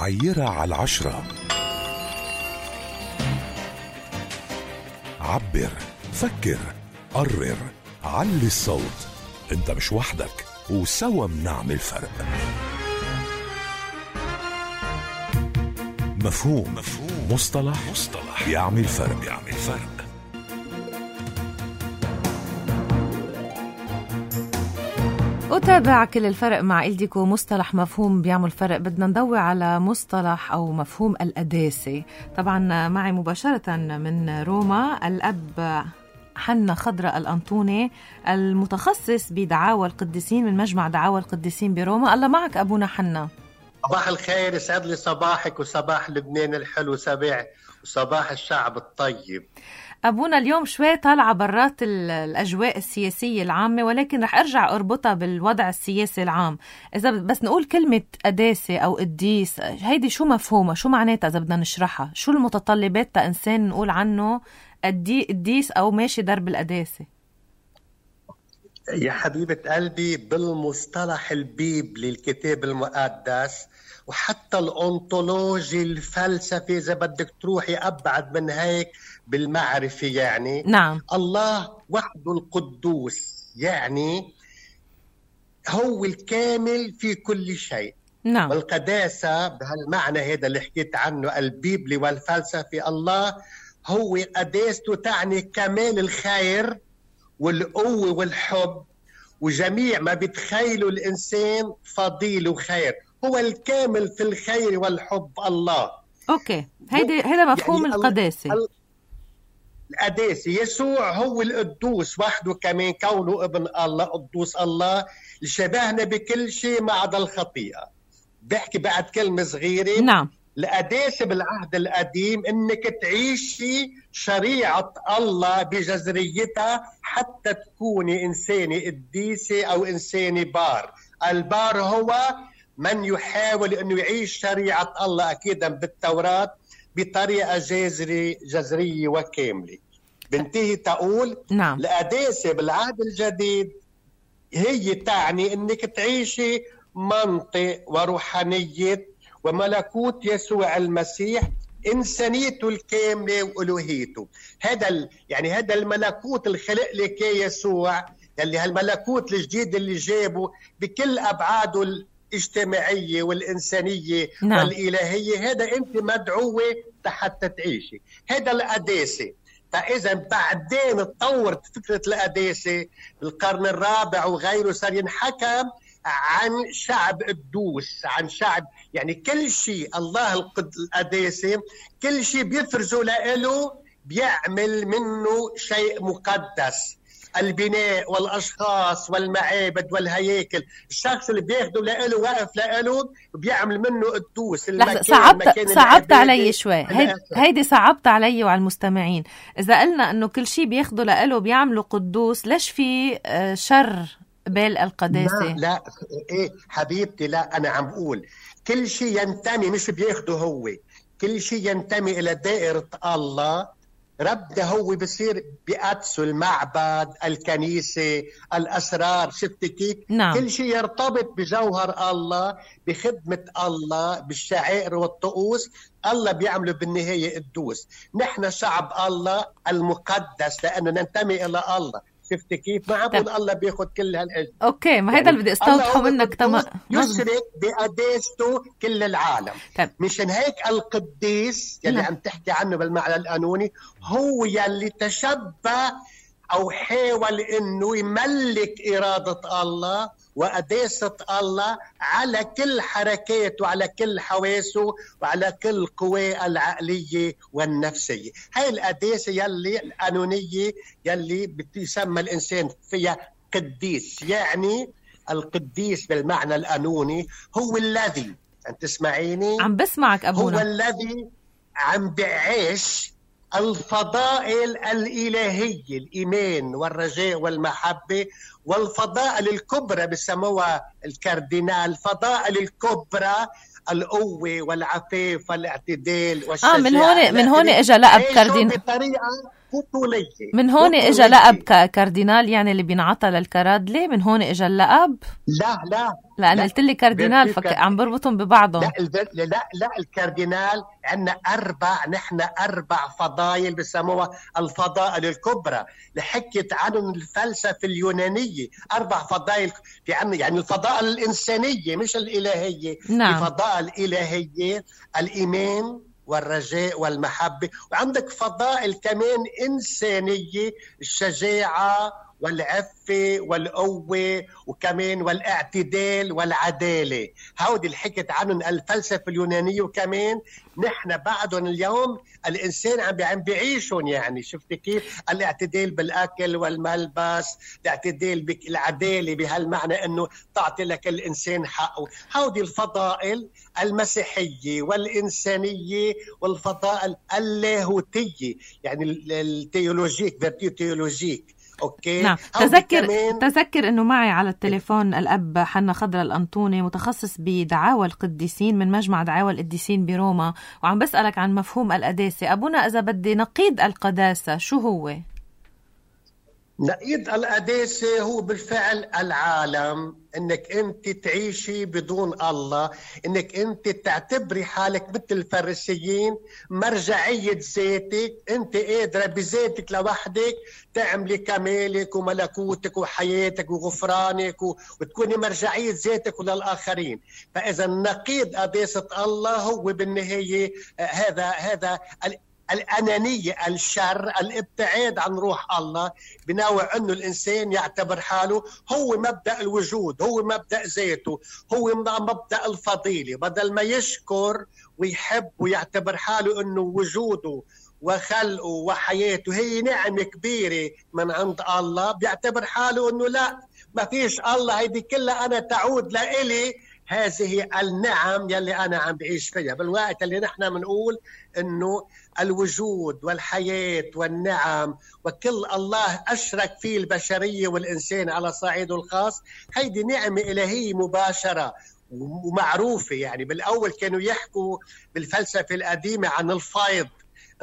عيرها على 10. عبر، فكر، قرر، علي الصوت. انت مش وحدك، وسوا منعمل فرق. مفهوم. مصطلح يعمل فرق. أتابع كل الفرق مع إلديكو. مصطلح مفهوم بيعمل فرق. بدنا نضوي على مصطلح أو مفهوم القداسة. طبعا معي مباشرة من روما الأب حنا خضراء الأنطوني المتخصص بدعاوى القديسين من مجمع دعاوى القديسين بروما. الله معك أبونا حنا. صباح الخير، يسعد لي صباحك وصباح لبنان الحلو سبع وصباح الشعب الطيب. أبونا اليوم شوي طالعة برات الأجواء السياسية العامة، ولكن رح أرجع أربطها بالوضع السياسي العام. إذا بس نقول كلمة قداسة أو قديس، هيدي شو مفهومة؟ شو معناتها إذا بدنا نشرحها؟ شو المتطلبات تا إنسان نقول عنه قديس أو ماشي درب القداسة؟ يا حبيبة قلبي، بالمصطلح البيبلي الكتاب المقدس وحتى الأنطولوجي الفلسفي إذا بدك تروحي أبعد من هيك بالمعرفة، يعني نعم، الله وحده القدوس، يعني هو الكامل في كل شيء. نعم. والقداسة بهالمعنى هذا اللي حكيت عنه البيبلي والفلسفي، الله هو قداسته تعني كمال الخير والقوة والحب وجميع ما بتخيله الإنسان فضيل وخير. هو الكامل في الخير والحب الله. أوكي، هذا مفهوم يعني القداسة. القداسة يسوع هو القدوس وحده، كمان كونه ابن الله قدوس الله لشبهنا بكل شيء ما عدا الخطيئة. بحكي بعد كلمة صغيرة. نعم. القداسة بالعهد القديم انك تعيشي شريعة الله بجذريتها حتى تكوني إنسانة قديسة أو إنسانة بار. البار هو من يحاول أنه يعيش شريعة الله أكيدا بالتوراة بطريقة جذرية وكاملة. بنتهي تقول نعم. القداسة بالعهد الجديد هي تعني أنك تعيشي منطق وروحانية وملكوت يسوع المسيح، إنسانيته الكاملة وألوهيته. يعني هذا الملكوت الخلق لك يسوع، اللي هالملكوت الجديد اللي جابه بكل أبعاده الاجتماعية والإنسانية نعم. والإلهية، هذا أنت مدعوة حتى تعيشي. هذا القداسة. فإذا بعدين تطورت فكرة القداسة بالقرن الرابع وغيره، صار ينحكم عن شعب قدوس، عن شعب يعني كل شيء الله القداسة كل شيء بيفرزه لإله بيعمل منه شيء مقدس. البناء والأشخاص والمعابد والهياكل، الشخص اللي بياخده لإله واقف لإله بيعمل منه قدوس. صعبت علي شوي هيدي صعبت علي وعلى المستمعين. إذا قلنا أنه كل شيء بياخده لإله بيعمله قدوس، ليش في شر بال القداسة؟ لا إيه حبيبتي، لا أنا عم بقول كل شيء ينتمي، مش بياخده هو، كل شيء ينتمي إلى دائرة الله. ربنا هو بصير بقدسه، المعبد، الكنيسة، الأسرار، شفت كيف؟ نعم. كل شيء يرتبط بجوهر الله، بخدمة الله، بالشعائر والطقوس. الله بيعمله بالنهاية قدوس. نحن شعب الله المقدس لأنه ننتمي إلى الله. شفت كيف؟ ما عم بقول الله بياخد كل هالأجل. أوكي، ما هذا اللي بدي استوضحه منك. تمام. يشرك بقداسته كل العالم. مشان هيك القديس يلي عم تحكي عنه بالمعنى القانوني هو يلي تشبه أو حاول إنه يملك إرادة الله وقداسة الله على كل حركاته وعلى كل حواسه وعلى كل قواه العقلية والنفسية. هاي القداسة يلي القانونية يلي بتسمى الإنسان فيها قديس. يعني القديس بالمعنى القانوني هو الذي، أنت تسمعيني؟ عم بسمعك أبونا. هو الذي عم بعيش الفضائل الإلهية، الإيمان والرجاء والمحبة، والفضائل الكبرى بسموها الفضائل الكبرى، القوة والعفاف والاعتدال والشجاعة. من هون اجى لقب كاردينال. بطريقة بطولية. من هون اجى لقب كاردينال، يعني اللي بينعطى للكرادلة من هون اجى اللقب؟ لا لأن قلت لي كاردينال عم بربطهم ببعضهم. لا الكاردينال عندنا نحن 4 فضائل بسموها الفضائل الكبرى اللي حكيت عنهم الفلسفة اليونانية. 4 فضائل في عنا، يعني الفضائل الإنسانية مش الإلهية. نعم. الفضائل الإلهية الإيمان والرجاء والمحبة، وعندك فضائل كمان إنسانية، الشجاعة والعفة والقوة وكمان والاعتدال والعدالة. هودي اللي حكت عنهم الفلسفة اليونانية، وكمان نحن بعدهم اليوم الإنسان عم بيعيشون. يعني شفت كيف؟ الاعتدال بالأكل والملبس، الاعتدال بالعدالة بهالمعنى أنه تعطي لك الإنسان حقه. هودي الفضائل المسيحية والإنسانية والفضائل اللاهوتية، يعني التيولوجيك، فيرتيو تيولوجيك. أوكي. نعم. تذكر أنه معي على التليفون الأب حنا خضر الأنطوني، متخصص بدعاوى القديسين من مجمع دعاوى القديسين بروما، وعم بسألك عن مفهوم القداسة. أبونا إذا بدي نقيض القداسة شو هو؟ نقيض القداسة هو بالفعل العالم، انك انت تعيشي بدون الله، انك انت تعتبري حالك مثل الفريسيين مرجعية ذاتك، انت قادرة بذاتك لوحدك تعملي كمالك وملكوتك وحياتك وغفرانك وتكوني مرجعية ذاتك وللآخرين. فإذا نقيض قداسة الله هو بالنهاية هذا الأنانية، الشر، الابتعاد عن روح الله، بنوع أنه الإنسان يعتبر حاله هو مبدأ الوجود، هو مبدأ ذاته، هو مبدأ الفضيلة. بدل ما يشكر ويحب ويعتبر حاله أنه وجوده وخلقه وحياته هي نعمة كبيرة من عند الله، بيعتبر حاله أنه لا، ما فيش الله، هيدي كلها أنا تعود لإلي، هذه النعم يلي أنا عم بعيش فيها. بالوقت اللي نحن منقول إنه الوجود والحياة والنعم وكل الله أشرك فيه البشرية والإنسان على صعيده الخاص، هيدي نعمة إلهية مباشرة ومعروفة. يعني بالأول كانوا يحكوا بالفلسفة القديمة عن الفيض،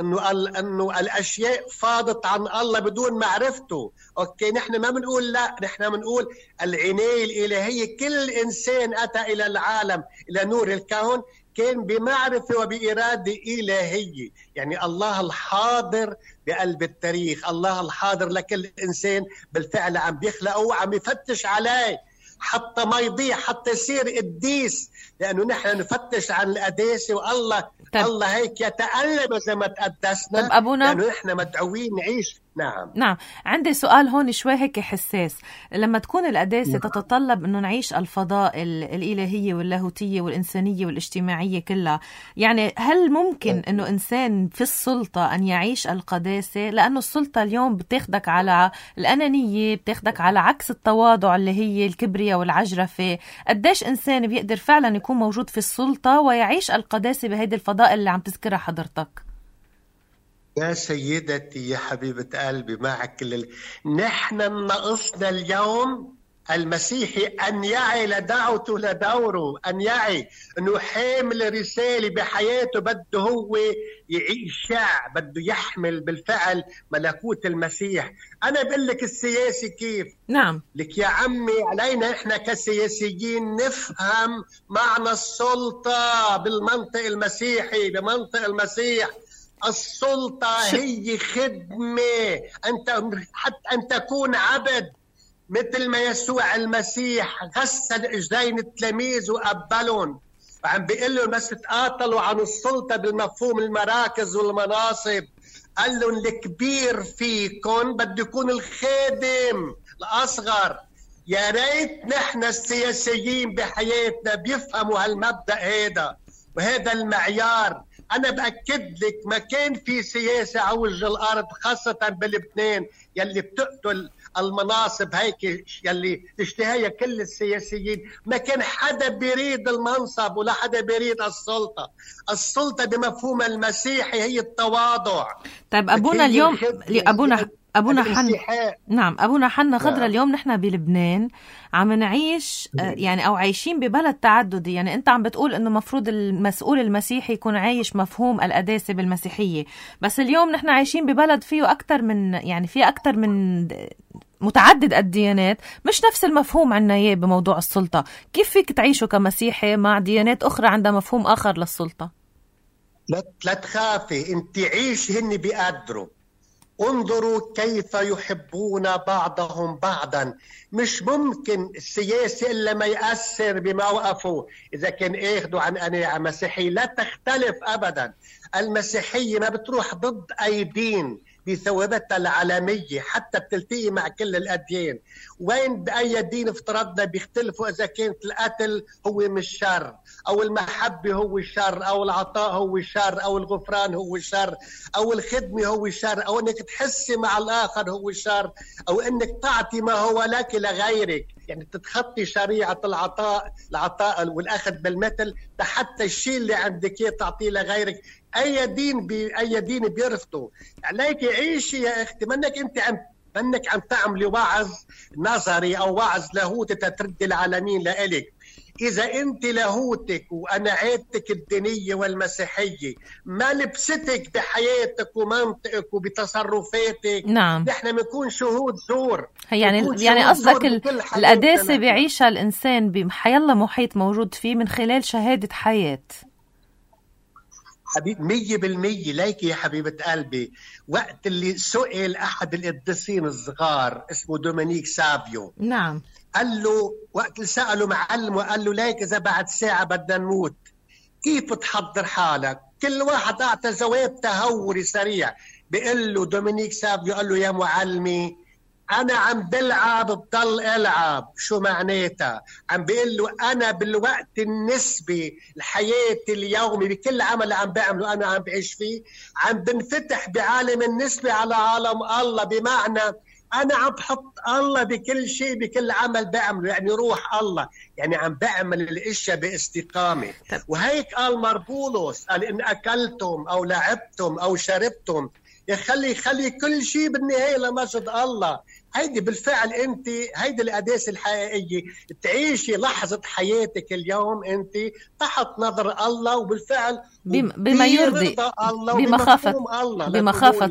انه الاشياء فاضت عن الله بدون معرفته. اوكي، نحن ما بنقول لا، نحن بنقول العناية الالهية. كل انسان اتى الى العالم، الى نور الكون، كان بمعرفة وبإرادة إلهية. يعني الله الحاضر بقلب التاريخ، الله الحاضر لكل إنسان بالفعل عم بيخلقه وعم يفتش عليه حتى ما يضيع، حتى يصير قديس، لأنه نحن نفتش عن القداسة، والله الله هيك يتألم إذا ما تقدسنا. طب أبونا، لأنه نحن مدعوين نعيش. نعم. عندي سؤال هون شوي هيك حساس. لما تكون القداسة تتطلب أنه نعيش الفضائل الإلهية واللاهوتية والإنسانية والاجتماعية كلها، يعني هل ممكن أنه إنسان في السلطة أن يعيش القداسة؟ لأنه السلطة اليوم بتاخدك على الأنانية، بتاخدك على عكس التواضع اللي هي الكبرياء والعجرفة. قديش إنسان بيقدر فعلا يكون موجود في السلطة ويعيش القداسة بهيدي الفضائل اللي عم تذكرها حضرتك؟ يا سيدتي يا حبيبة قلبي، معك نحن ناقصنا اليوم المسيحي أن يعي لدعوته لدوره، أن يعي أنه حامل رسالة بحياته، بده هو يعيش، بده يحمل بالفعل ملكوت المسيح. أنا بقول لك السياسي كيف؟ نعم. لك يا عمي علينا إحنا كسياسيين نفهم معنى السلطة بالمنطق المسيحي، بمنطق المسيح. السلطة هي خدمة، حتى أن تكون عبد، مثل ما يسوع المسيح غسل اجرين التلاميذ وقبلهم، وعم بيقول لهم بس تقاتلوا عن السلطة بالمفهوم المراكز والمناصب، قال لهم الكبير فيكم بده يكون الخادم الأصغر. يا ريت نحن السياسيين بحياتنا بيفهموا هالمبدأ هذا وهذا المعيار. أنا بأكد لك ما كان في سياسة على وجه الأرض، خاصة بلبنان يلي بتقتل المناصب هيك يلي تشتهيها كل السياسيين، ما كان حدا بيريد المنصب ولا حدا بيريد السلطة. السلطة بمفهوم المسيحي هي التواضع. طيب أبونا اليوم أبونا حنا، نعم أبونا حنا خضرة، اليوم نحن بلبنان عم نعيش يعني أو عايشين ببلد تعددي. يعني أنت عم بتقول إنه مفروض المسؤول المسيحي يكون عايش مفهوم القداسة بالمسيحية، بس اليوم نحن عايشين ببلد فيه أكتر من، يعني فيه أكتر من متعدد الديانات، مش نفس المفهوم عنا إياه بموضوع السلطة. كيف فيك تعيشوا كمسيحي مع ديانات أخرى عندها مفهوم آخر للسلطة؟ لا تخافي، انت عيش، هن بيقدروا. انظروا كيف يحبون بعضهم بعضا. مش ممكن السياسي إلا ما يأثر بموقفه إذا كان اخذوا عن قناعة مسيحية. لا تختلف أبدا. المسيحية ما بتروح ضد أي دين بثوابتها العالمية، حتى بتلتقي مع كل الأديان. وين بأي دين افترضنا بيختلفوا إذا كانت القتل هو مش شر، أو المحبة هو شر، أو العطاء هو شر، أو الغفران هو شر، أو الخدمة هو شر، أو أنك تحسي مع الآخر هو شر، أو أنك تعطي ما هو لك لغيرك، يعني تتخطي شريعة العطاء والأخذ بالمثل، حتى الشيء اللي عندك تعطيه لغيرك. أي دين بيرفضه. عليك عيشي يا أختي، منك عم تعملي وعظ نظري أو وعظ لاهوتي تترد العالمين لإلك. إذا أنت لاهوتك وقناعاتك الدينية والمسيحية ما لبستك بحياتك ومنطقك وبتصرفاتك، نعم، نحن بنكون شهود زور. يعني قصدك القداسة بيعيشها الإنسان بحيالله محيط موجود فيه من خلال شهادة حياة. حبيب 100%. ليك يا حبيبة قلبي، وقت اللي سئل أحد القديسين الصغار اسمه دومينيك سافيو، نعم، قال له وقت اللي سأله معلم وقال له ليك إذا بعد ساعة بدنا نموت كيف تحضر حالك؟ كل واحد أعطى جواب تهوري سريع. بيقول له دومينيك سافيو، قال له يا معلمي أنا عم بلعب بضل ألعب. شو معناتها؟ عم بيقول له أنا بالوقت النسبي لحياتي اليومي بكل عمل عم بعمله أنا عم بعيش فيه، عم بنفتح بعالم النسبي على عالم الله. بمعنى أنا عم بحط الله بكل شيء، بكل عمل بعمله، يعني روح الله، يعني عم بعمل الاشياء باستقامة. وهيك قال مربولوس، قال إن أكلتم أو لعبتم أو شربتم خلي كل شيء بالنهاية لمجد الله. هيدي بالفعل انت، هيدي القداسة الحقيقية، تعيشي لحظة حياتك اليوم انت تحت نظر الله، وبالفعل بما يرضي الله، بمخافة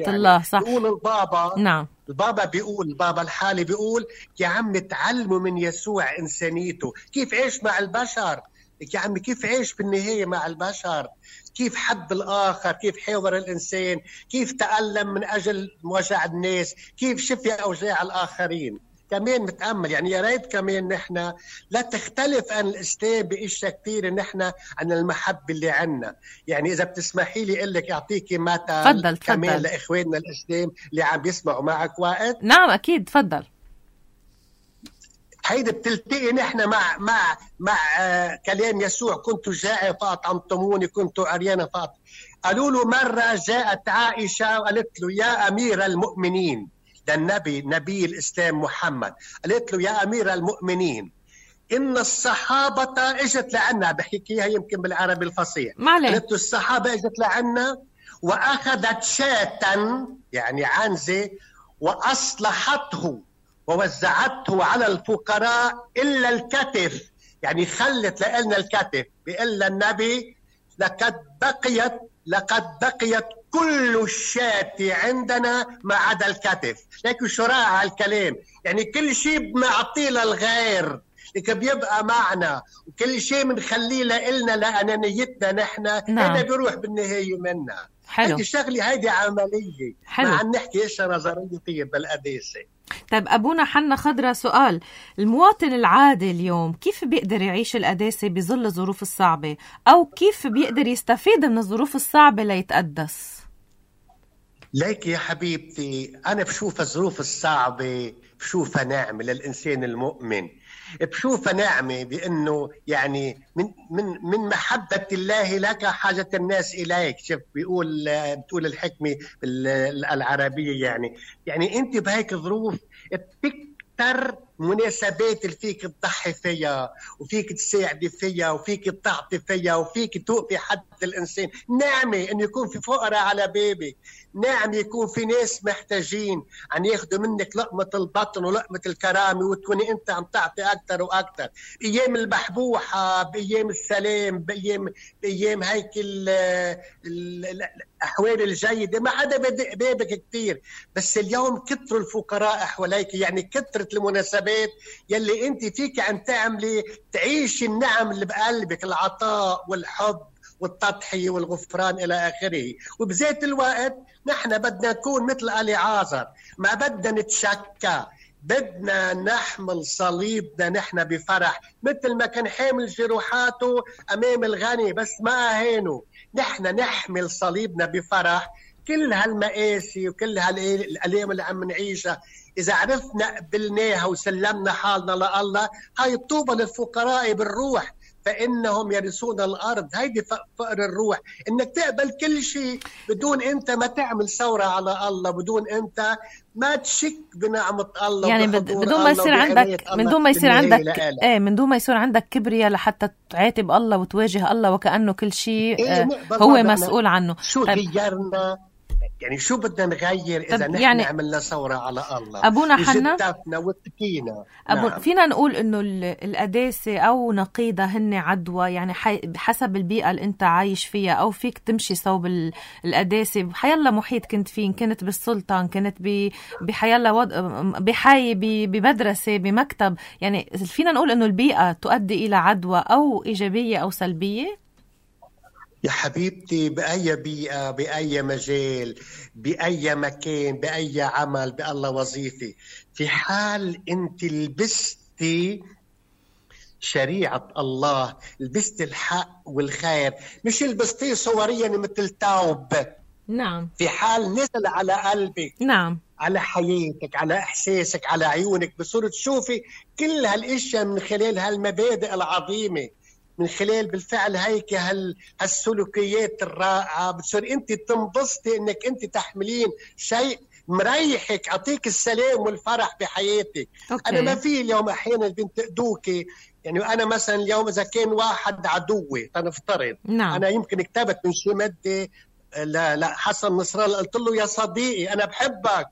الله. يعني صح. بيقول البابا، نعم، البابا الحالي بيقول يا عم تعلموا من يسوع إنسانيته، كيف عيش مع البشر. يا عم كيف عيش بالنهاية مع البشر، كيف حب الآخر، كيف حاور الإنسان، كيف تألم من أجل وجع الناس، كيف شفي أوجاع الآخرين. كمان متأمل، يعني يا ريت كمان نحن لا تختلف عن الإسلام بإشياء كثير نحن عن المحبة اللي عنا. يعني إذا بتسمحي لي أقول لك أعطيكي مثل فضل. كمان لإخواننا الإسلام اللي عم بيسمعوا معك وقت. نعم أكيد، تفضل. هيدا بتلتقي نحن مع كلام يسوع، كنت جائع فأطعمتموني، كنت عريانا قالوا له مرة جاءت عائشة وقالت له يا أمير المؤمنين، للنبي نبي الإسلام محمد، قالت له يا أمير المؤمنين إن الصحابة اجت لعنا، بحكيها يمكن بالعربي الفصيح، قالت له الصحابة اجت لعنا وأخذت شاة يعني عنزة وأصلحته ووزعته على الفقراء إلا الكتف، يعني خلت لنا الكتف. بيقول النبي لقد بقيت كل الشاة عندنا ما عدا الكتف. لكن شو رائع الكلام، يعني كل شيء بنعطيه للغير لكن بيبقى معنا، وكل شيء بنخليه لنا لأنانيتنا نحن، هذا بيروح بالنهاية منا. هيدي شغلة، هيدي عملية، مع أن نحكي إشياء نظرية طيب بالقداسة. طيب أبونا حنا خضرة، سؤال: المواطن العادي اليوم كيف بيقدر يعيش القداسة بظل الظروف الصعبة، أو كيف بيقدر يستفيد من الظروف الصعبة ليتقدس؟ ليك يا حبيبتي، أنا بشوف الظروف الصعبة بشوفها نعمة للإنسان المؤمن، بشوفها نعمة بأنه يعني من محبة الله لك حاجة الناس إليك. شوف بتقول الحكمة العربية، يعني أنت بهيك ظروف بتكتر مناسبات اللي فيك تضحي فيها وفيك تساعدي فيها وفيك تعطي فيها وفيك توقفي حد الإنسان. نعمة إنه يكون في فقراء على بابك، نعم يكون في ناس محتاجين عن ياخدوا منك لقمة البطن ولقمة الكرامة، وتكوني أنت عم تعطي أكتر وأكتر. بأيام المحبوحة، بأيام السلام، بأيام هيك الأحوال الجيدة ما حدا بدق بابك كتير. بس اليوم كتروا الفقراء حواليك، يعني كترت المناسبات يلي أنت فيك عم تعملي تعيشي النعم اللي بقلبك، العطاء والحب والتضحية والغفران إلى آخره. وبذات الوقت نحن بدنا نكون مثل أليعازر، ما بدنا نتشكى، بدنا نحمل صليبنا نحن بفرح مثل ما كان حامل جروحاته أمام الغني بس ما أهانه. نحن نحمل صليبنا بفرح كل هالمآسي وكل هالألام اللي عم نعيشها. إذا عرفنا قبلناها وسلمنا حالنا لله، هاي طوبى للفقراء بالروح فإنهم يرثون الأرض. هيدي فقر الروح، إنك تقبل كل شيء بدون أنت ما تعمل ثورة على الله، بدون أنت ما تشك بنعمة الله، يعني بدون ما يصير عندك من دون ما يصير عندك كبرياء لحتى تعاتب الله وتواجه الله وكأنه كل شيء هو مسؤول عنه. شو غيرنا؟ يعني شو بدنا نغير إذا نحن يعني عملنا ثورة على الله أبونا حنا وجدتنا واتقينا؟ نعم. فينا نقول إنه القداسة أو نقيضة هن عدوى، يعني بحسب البيئة اللي أنت عايش فيها، أو فيك تمشي صوب القداسة بحيالله محيط كنت فيه، كنت بالسلطة، كنت بحيالله بحي، بمدرسة، بمكتب. يعني فينا نقول إنه البيئة تؤدي إلى عدوى أو إيجابية أو سلبية. يا حبيبتي بأي بيئة، بأي مجال، بأي مكان، بأي عمل، بأي وظيفة، في حال أنت لبستي شريعة الله، لبستي الحق والخير، مش لبستي صوريا مثل توب. نعم. في حال نزل على قلبك، نعم، على حياتك، على إحساسك، على عيونك، بصورة تشوفي كل هالاشياء من خلال هالمبادئ العظيمة، من خلال بالفعل هيك هالسلوكيات الرائعة، بتصير أنت تنبسطي أنك أنت تحملين شيء مريحك، عطيك السلام والفرح بحياتك. أنا ما في اليوم أحيانا بنتقدوكي، يعني أنا مثلا اليوم إذا كان واحد عدوي تنفترض، نعم. أنا يمكن كتبت من شي مادة لا حسن نصر الله، قلت له يا صديقي أنا بحبك.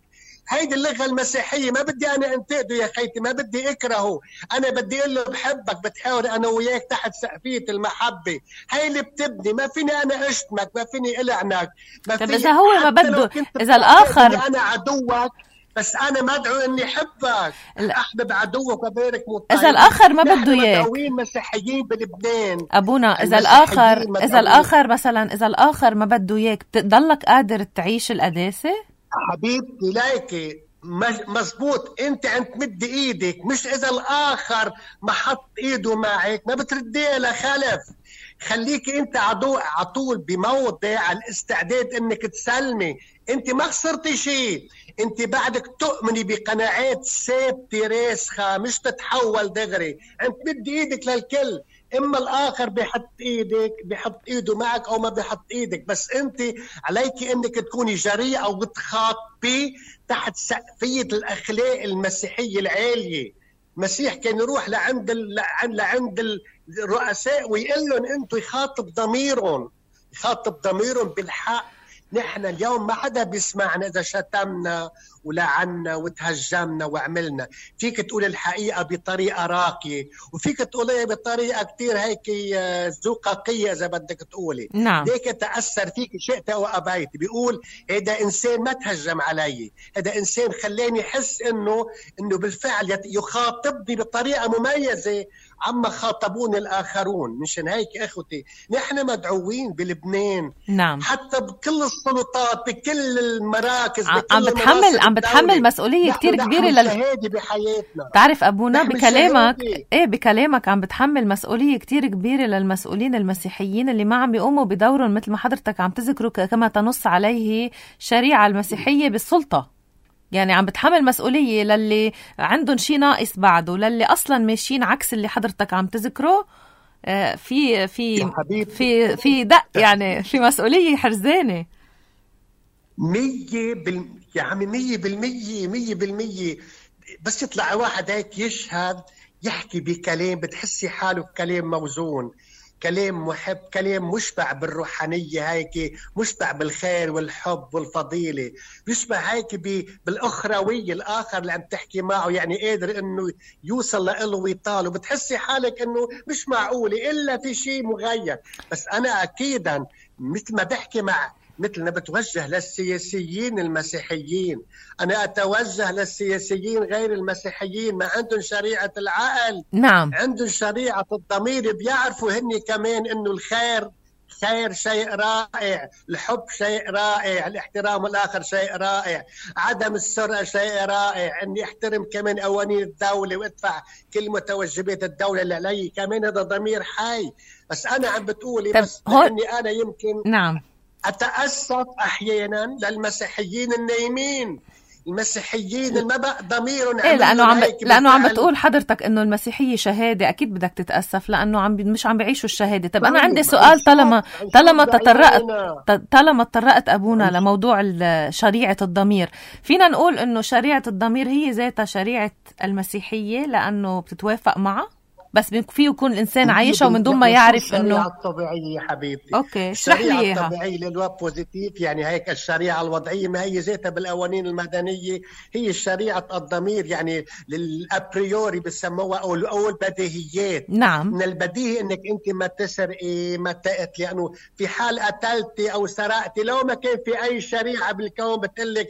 هيدي اللغة المسيحية، ما بدي أنا أنتقده يا خيتي، ما بدي أكرهه، أنا بدي أقول له بحبك، بتحاور أنا وياك تحت سقفية المحبة. هاي اللي بتبني، ما فيني أنا أشتمك، ما فيني ألعنك، ما فيني. إذا هو ما بده، إذا الآخر أنا عدوك بس أنا مدعو إني أحبك، أحبب عدوك وبارك مطيع. إذا الآخر ما بده إياك، مدعوين مسيحيين بلبنان أبونا، إذا الآخر مثلا إذا الآخر ما بده إياك، بتضلك قادر تعيش القداسة؟ حبيبتي لايكي مزبوط، انت عم تمد ايدك، مش اذا الاخر ما حط ايده معك ما بترديه لخلف. خليكي انت عطول بموضع الاستعداد انك تسلمي. انت ما خسرتي شيء، انت بعدك تؤمني بقناعات ثابته راسخه، مش تتحول دغري، عم تمد ايدك للكل. اما الاخر بيحط ايده معك او ما بيحط ايدك، بس انت عليك انك تكوني جريئه او بتخاطبي تحت سقفيه الاخلاق المسيحيه العاليه. المسيح كان يروح لعند الرؤساء ويقول لهم انتم يخاطب ضميرهم بالحق. نحن اليوم ما حدا بيسمعنا إذا شتمنا ولعنا وتهجمنا وعملنا. فيك تقول الحقيقة بطريقة راقية، وفيك تقولها بطريقة كتير هيك زقاقية إذا بدك تقولي. نعم. ديك تأثر فيك شئت أو أبيت. بيقول هذا إنسان ما تهجم علي، هذا إنسان خلاني حس إنه بالفعل يخاطبني بطريقة مميزة عما خاطبون الآخرون. مشان هيك أخوتي نحن مدعوين بلبنان، نعم، حتى بكل السلطات، بكل المراكز، عم بتحمل مسؤولية كتير كبيرة بحياتنا. تعرف أبونا بكلامك عم بتحمل مسؤولية كتير كبيرة للمسؤولين المسيحيين اللي ما عم يقوموا بدورهم مثل ما حضرتك عم تذكروا كما تنص عليه الشريعة المسيحية بالسلطة. يعني عم بتحمل مسؤولية للي عندهم شيء ناقص بعده، للي أصلا ماشيين عكس اللي حضرتك عم تذكره. في دق، يعني في مسؤولية حرزانة 100%. يا عمي 100%. بس يطلع واحد هيك يشهد يحكي بكلام بتحسي حاله كلام موزون، كلام محب، كلام مشبع بالروحانية، هيك مشبع بالخير والحب والفضيلة، بيشبع هيك بالأخروية، الآخر اللي عم تحكي معه يعني قادر إنه يوصل له ويطاله، بتحسي حالك إنه مش معقولة إلا في شيء مغير. بس أنا أكيدا مثل ما بحكي مثل ما بتوجه للسياسيين المسيحيين، أنا أتوجه للسياسيين غير المسيحيين، ما عندهم شريعة العقل، نعم، عندهم شريعة الضمير، بيعرفوا هني كمان إنه الخير شيء رائع، الحب شيء رائع، الاحترام الآخر شيء رائع، عدم السرقة شيء رائع، إني أحترم كمان قوانين الدولة وأدفع كل متوجبات الدولة اللي علي، كمان هذا ضمير حي. بس أنا عم بتقولي بس لأني أنا يمكن نعم أتأسف أحيانا للمسيحيين النايمين، المسيحيين اللي ما بقى ضميرهم لأنه عم بتقول حضرتك إنه المسيحية شهادة، أكيد بدك تتأسف لأنه مش عم بيعيشوا الشهادة. طب أنا عندي سؤال، طالما تطرقت أبونا لموضوع شريعة الضمير، فينا نقول إنه شريعة الضمير هي ذاتها شريعة المسيحية لأنه بتتوافق معها؟ بس فيه يكون الإنسان عايشة ومن دون ما يعرف إنه الشريعة الطبيعية حبيبتي. أوكي، اشرح لي إياها. الشريعة الطبيعية للوب بوزيتيف، يعني هيك الشريعة الوضعية ما هي ذاتها بالقوانين المدنية، هي شريعة الضمير، يعني للأبريوري بسموها أو البديهيات. نعم، من البديهي إنك أنت ما تسرقي، ما تقتلي، لأنه في حال قتلتي أو سرقتي لو ما كان في أي شريعة بالكون بتقلك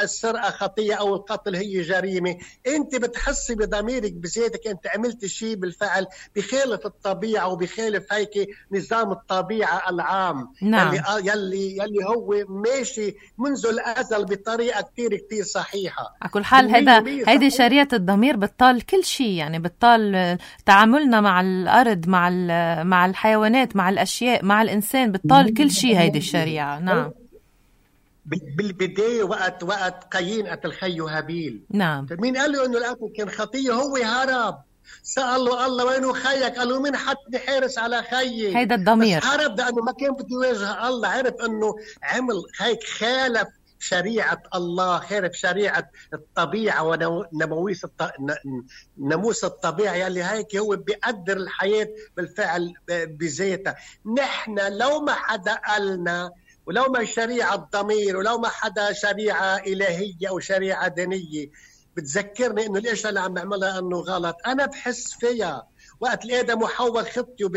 السرقة خطية أو القتل هي جريمة، أنت بتحسي بضميرك بذاتك أنت عملت شيء بالفعل بخالف الطبيعة وبخالف هيك نظام الطبيعة العام. نعم. يلي هو ماشي منذ الأزل بطريقة كتير صحيحة. على كل حال هيدي شريعة الضمير بتطال كل شيء، يعني بتطال تعاملنا مع الأرض، مع الحيوانات، مع الأشياء، مع الإنسان، بتطال كل شيء هيدي الشريعة. نعم. بالبداية وقت قايين قتل خيه هابيل، نعم، مين قال له إنه القتل كان خطية؟ هو هرب، سأل له الله وينه خيك؟ قال له مين حطني حارس على خيي؟ هيدا الضمير. بس هرب لأنه ما كان بده يواجه الله، عرف إنه عمل هيك، خالف شريعة الله، خالف شريعة الطبيعة وناموس الطبيعة يلي هيك هو بيقدر الحياة بالفعل بذاتها. نحن لو ما حدا قالنا، ولو ما شريعة ضمير، ولو ما حدا شريعة إلهية أو شريعة دينية بتذكرني إنه الإشياء اللي عم بعملها إنه غلط، أنا بحس فيها. وقت آدم وحواء خطيوا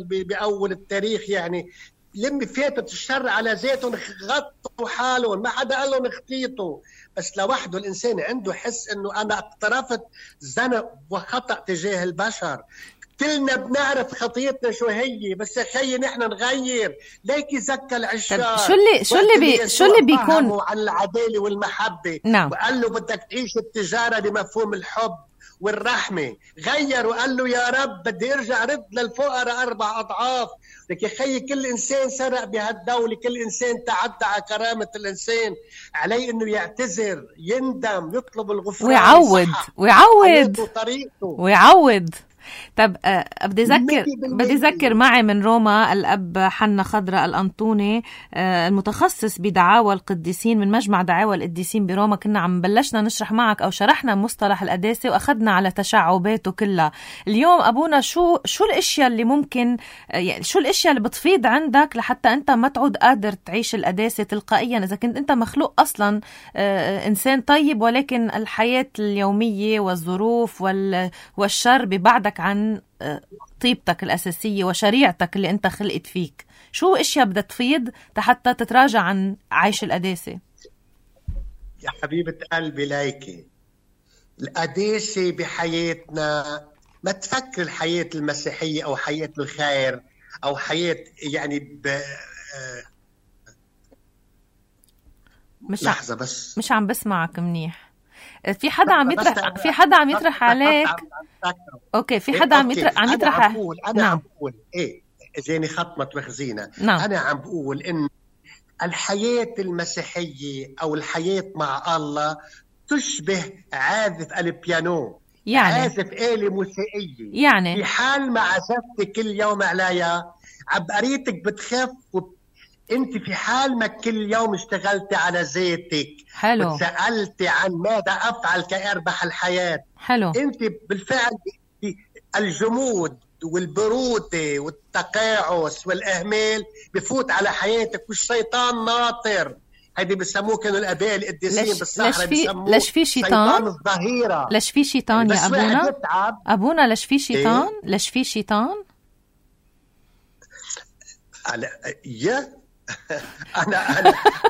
بأول التاريخ، يعني لما فاتت الشر على ذاتهم غطوا حالهم، ما حدا قال لهم اخطيتوا. بس لوحده الإنسان عنده حس إنه أنا اقترفت ذنب وخطأ تجاه البشر. كلنا بنعرف خطيتنا شو هي، بس يا خيي نحن نغير. ليك يزكى العشاق. شو اللي بيكون عن العدالة والمحبة. نعم. وقال له بدك تعيش التجارة بمفهوم الحب والرحمة. غير وقال له يا رب بدي ارجع رد للفقراء 4 أضعاف. لك يا خيي كل إنسان سرق بهالدولة، كل إنسان تعدى على كرامة الإنسان، عليه إنه يعتذر، يندم، يطلب الغفران ويعوض. طب بدي أذكر معي من روما الأب حنا خضراء الأنطوني، المتخصص بدعاوى القديسين من مجمع دعاوى القديسين بروما. كنا عم بلشنا نشرح معك أو شرحنا مصطلح القداسة وأخذنا على تشعباته كلها. اليوم أبونا شو الأشياء اللي ممكن، يعني شو الأشياء اللي بتفيض عندك لحتى أنت ما تعود قادر تعيش القداسة تلقائيا، إذا كنت أنت مخلوق أصلا إنسان طيب، ولكن الحياة اليومية والظروف والشر ببعدك عن طيبتك الأساسية وشريعتك اللي أنت خلقت فيك. شو إشياء بدها تفيض حتى تتراجع عن عيش القداسة؟ يا حبيبة قلبي ليكي، القداسة بحياتنا ما تفكر الحياة المسيحية أو حياة الخير أو حياة يعني لحظة بس مش عم بسمعك منيح. في حدا عم يطرح عليك. اوكي، في حدا عم يطرح انا عم بقول ايه، جاني خطمة وخزينة. انا عم بقول ان الحياة المسيحية او الحياة مع الله تشبه عازف البيانو، يعني عازف آلة موسيقية، يعني في حال ما عزفت كل يوم عليها عبقريتك بتخف انت في حال ما كل يوم اشتغلتي على ذاتك حلو وسألتي عن ماذا افعل كي اربح الحياة، حلو انت بالفعل الجمود والبرودة والتقاعس والإهمال بفوت على حياتك والشيطان ناطر. هيدي بسموه كانوا الآباء القديسين بالصحراء بسموه ليش في شيطان الظهيرة. ليش في شيطان يا أبونا؟ أبونا ليش في شيطان؟ إيه؟ ليش في شيطان؟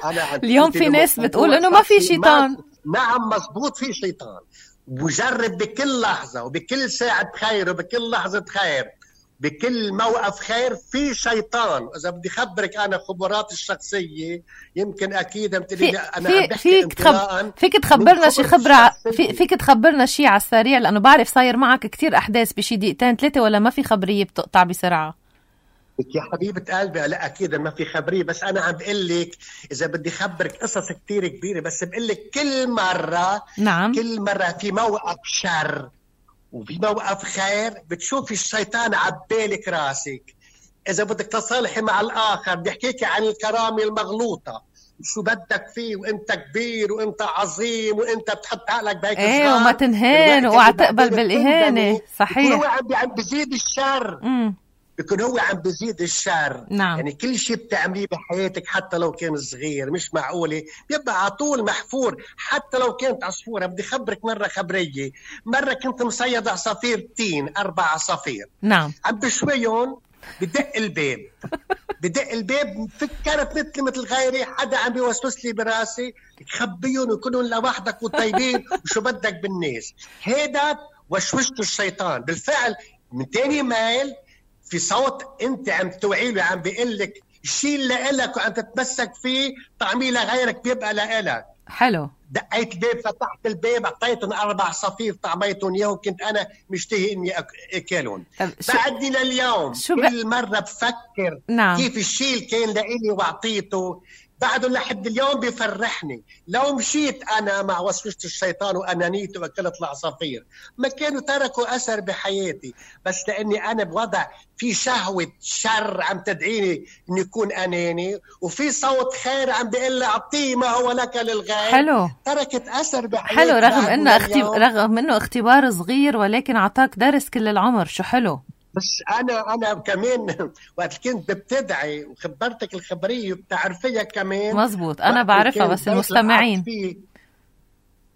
أنا اليوم في ناس بتقول إنه ما في شيطان. نعم مزبوط في شيطان، وجرب بكل لحظة وبكل ساعة خير وبكل لحظة خير بكل موقف خير في شيطان. إذا بدي خبرك أنا خبراتي الشخصية يمكن أكيد أنا فيك تخبرنا شي خبرة، فيك تخبرنا شي على السريع، لأنه بعرف صاير معك كتير أحداث بشي دقيقتين 3 ولا ما في خبرية بتقطع بسرعة؟ يا حبيبة قلبي لا أكيد ما في خبرية، بس أنا عم بقول لك إذا بدي خبرك قصص كتير كبيرة، بس بقول لك كل مرة نعم كل مرة في موقف شر وفي موقف خير بتشوفي الشيطان عبالك راسك. إذا بدك تصالحي مع الآخر بيحكيك عن الكرامة المغلوطة، شو بدك فيه وانت كبير وانت عظيم وانت بتحط عقلك بهيك صغار وما تنهان وقع تقبل بالإهانة. صحيح، هو عم بزيد الشر. بيكون هو عم بزيد الشر. نعم. يعني كل شيء بتعمليه بحياتك حتى لو كان صغير مش معقولة بيبقى على طول محفور، حتى لو كانت عصفورة. بدي خبرك مرة خبرية، مرة كنت مصيد عصافير تين 4 عصافير. نعم. عم بشويهم بدق الباب بدق الباب فكرت مثل غيري حدا عم بيوسوس لي براسي تخبيهم ويكونوا لوحدك وطيبين وشو بدك بالناس. هيدا وشوشته الشيطان. بالفعل من تاني مايل في صوت انت عم توعي له، عم بيقول لك الشيء اللي لك وعم تتمسك فيه طعميه لغيرك بيبقى لك. حلو. دقيت الباب، فتحت الباب، اعطيتهم 4 عصافير طعميتهم اياهم، كنت انا مشتهي اني اكلهم. بعدني لليوم كل مره بفكر نعم. كيف الشيء اللي كان لإلي واعطيته بعده لحد اليوم بيفرحني. لو مشيت انا مع وسوسة الشيطان وانانيته واكلت العصافير ما كانوا تركوا اثر بحياتي، بس لاني انا بوضع في شهوة شر عم تدعيني اني يكون اناني، وفي صوت خير عم بيقول لي اعطيه ما هو لك للغير. حلو. تركت اثر بحياتي. حلو، رغم انه اختبار صغير ولكن اعطاك درس كل العمر. شو حلو. بس انا كمان وقت كنت بتدعي وخبرتك الخبريه بتعرفيها كمان. مزبوط، انا بعرفها بس المستمعين.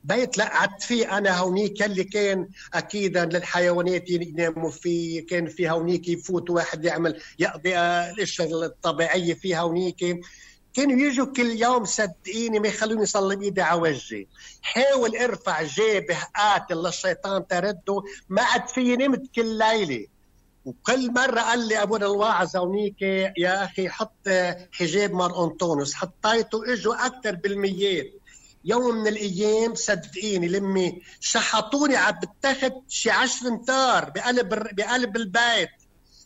بيت لقعت فيه انا هونيك اللي كان اكيدا للحيوانات يناموا فيه، كان في هونيك يفوت واحد يقضي الاشياء الطبيعيه فيها هونيك. كانوا يجوا كل يوم صدقيني ما يخلوني يصلي بيدي على وجهي. حاول ارفع جابه قاتل للشيطان ترده، ما عاد في نمت كل ليله. وكل مرة قال لي أبونا الواعظ هونيك يا أخي حط حجاب مار أنطونيوس، حطيته إجوا أكتر بالميات. يوم من الأيام صدقيني لمي شحطوني عم بتاخد شي 10 أمتار بقلب البيت.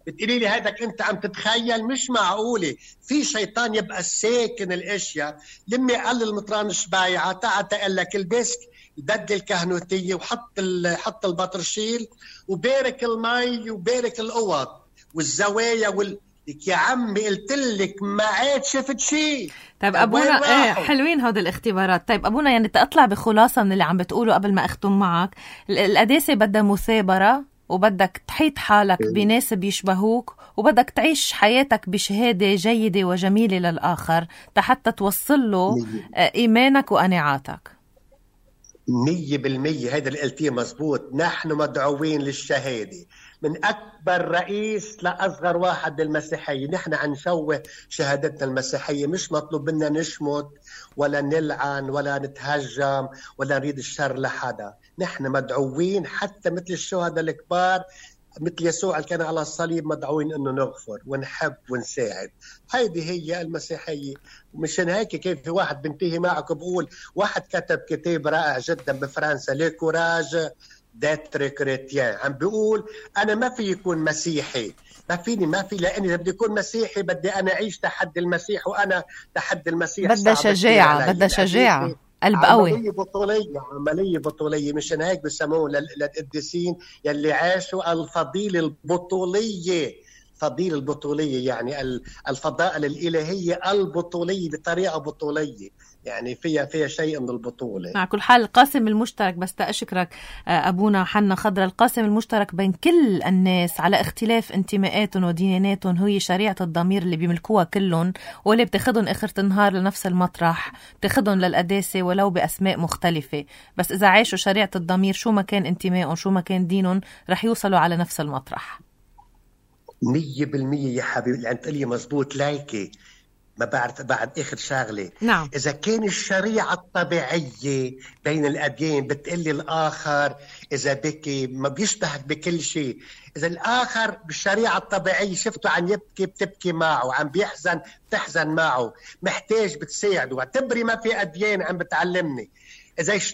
بتقولي لي هيدك أنت عم تتخيل؟ مش معقولة في شيطان يبقى ساكن الأشياء. لمي قال لي المطران شبايعة تعال تقول لك البسك بدل الكهنوتية وحط البطرشيل وبارك المي وبارك الأوض والزوايا يا عمي قلت لك ما عاد شفت شيء. طيب أبونا حلوين هود الاختبارات. طيب أبونا يعني تطلع بخلاصة من اللي عم بتقوله قبل ما أختم معك. القداسة بدها مثابرة، وبدك تحيط حالك بناس بيشبهوك، وبدك تعيش حياتك بشهادة جيدة وجميلة للآخر حتى توصل له إيمانك وقناعاتك. 100% هذا اللي قلتيه مزبوط. نحن مدعوين للشهادة من أكبر رئيس لأصغر واحد بالمسيحية. نحن عن شوه شهادتنا المسيحية، مش مطلوب منا نشمت ولا نلعن ولا نتهجم ولا نريد الشر لحدا. نحن مدعوين حتى مثل الشهداء الكبار مثل يسوع اللي كان على الصليب مدعوين انه نغفر ونحب ونساعد. هيدي هي المسيحيه. ومشان هيك كيف في واحد بنتهي معك بقول واحد كتب كتاب رائع جدا بفرنسا لي كوراج داتر كريتيان، عم بيقول انا ما في يكون مسيحي، ما في لاني بدي اكون مسيحي بدي انا اعيش تحدي المسيح، وانا تحدي المسيح بدها شجاعه، بدها شجاعه، قلب قوي. عملية بطولية. مشان هيك بسموه للقديسين يلي عاشوا الفضيلة البطولية. الفضيلة البطولية، يعني الفضائل الإلهية البطولية بطريقة بطولية، يعني فيها شيء من البطولة. مع كل حال القاسم المشترك، بس تأشكرك أبونا حنا خضرة، القاسم المشترك بين كل الناس على اختلاف انتماءاتهم ودياناتهم هي شريعة الضمير اللي بيملكوها كلهم، واللي بتاخدهم آخر النهار لنفس المطرح، بتاخدهم للقداسة ولو بأسماء مختلفة، بس إذا عاشوا شريعة الضمير شو ما كان انتمائهم شو ما كان دينهم رح يوصلوا على نفس المطرح. 100% يا حبيبي اللي انت قلي مزبوط. لايكي ما بعد اخر شغله، نعم. اذا كان الشريعه الطبيعيه بين الاديان بتقلي الاخر اذا بكي ما بيشبهك بكل شيء، اذا الاخر بالشريعه الطبيعيه شفته عم يبكي بتبكي معه، عم بيحزن بتحزن معه، محتاج بتساعده، واعتبري ما في اديان عم بتعلمني.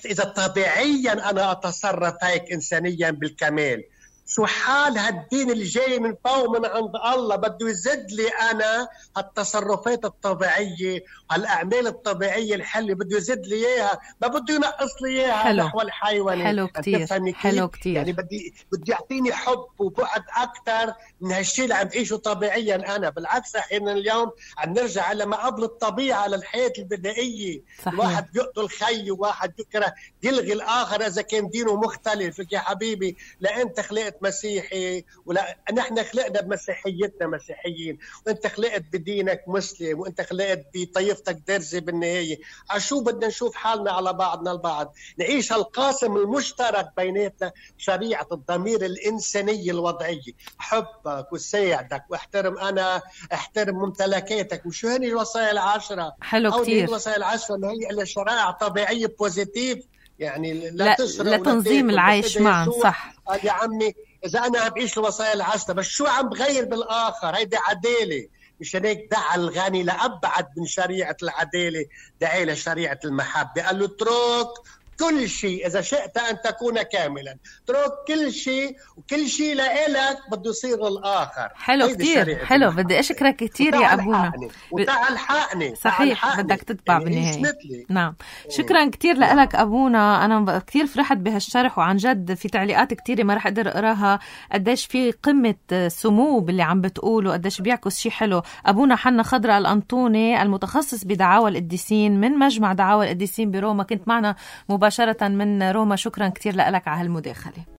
اذا طبيعيا انا اتصرف هيك انسانيا بالكمال، شو حال هالدين اللي جاي من فوق من عند الله بده يزد لي أنا هالتصرفات الطبيعية وهالأعمال الطبيعية الحلوة، بده يزد لي إياها، ما بده ينقص لي إياها نحو الحيواني. حلو كتير، حلو كتير. يعني بدي يعطيني حب وبعد أكتر من هالشيء اللي عم بعيشه طبيعيا أنا. بالعكس أحيانا اليوم عم نرجع على ما قبل الطبيعة للحياة البدائية. صحيح. الواحد بيقتل خي وواحد بيكره يلغي الآخر إذا كان دينه مختلف. يا حبيبي لا أنت خلقت مسيحي ولا نحن خلقنا بمسيحيتنا مسيحيين، وانت خلقت بدينك مسلم، وانت خلقت بطيفتك درزي. بالنهايه عشو بدنا نشوف حالنا على بعضنا البعض، نعيش هالقاسم المشترك بيناتنا، شريعه الضمير الانسانيه الوضعيه، حبك وساعدك واحترم انا احترم ممتلكاتك. وشو هني الوصايا العشره؟ حلو كتير. الوصايا العشره اللي هي إلها شرائع طبيعيه بوزيتيف، يعني لا لتنظيم العيش معا. صح يا عمي، إذا أنا بعيش الوصايا العشرة بس شو عم بغير بالآخر؟ هيدي عدالة. مشان هيك دعا الغني لأبعد من شريعة العدالة، دعا لشريعة المحبة، قال له اترك كل شيء إذا شئت أن تكون كاملا، اترك كل شيء وكل شيء لإلك بده يصير الآخر. حلو كتير، حلو. بدي أشكرك كتير يا أبونا. وتعال حقني. صحيح بدك تتبع بالنهاية. نعم شكرا كتير لك أبونا. أنا كتير فرحت بهالشرح، وعن جد في تعليقات كتيرة ما رح أقدر أقراها قديش في قمة سمو باللي عم بتقوله، قديش بيعكس شي حلو. أبونا حنا خضرة الأنطوني المتخصص بدعاوى القديسين من مجمع دعاوى القديسين بروما، كنت معنا مباشرة من روما. شكرا كتير لك على هالمداخلة.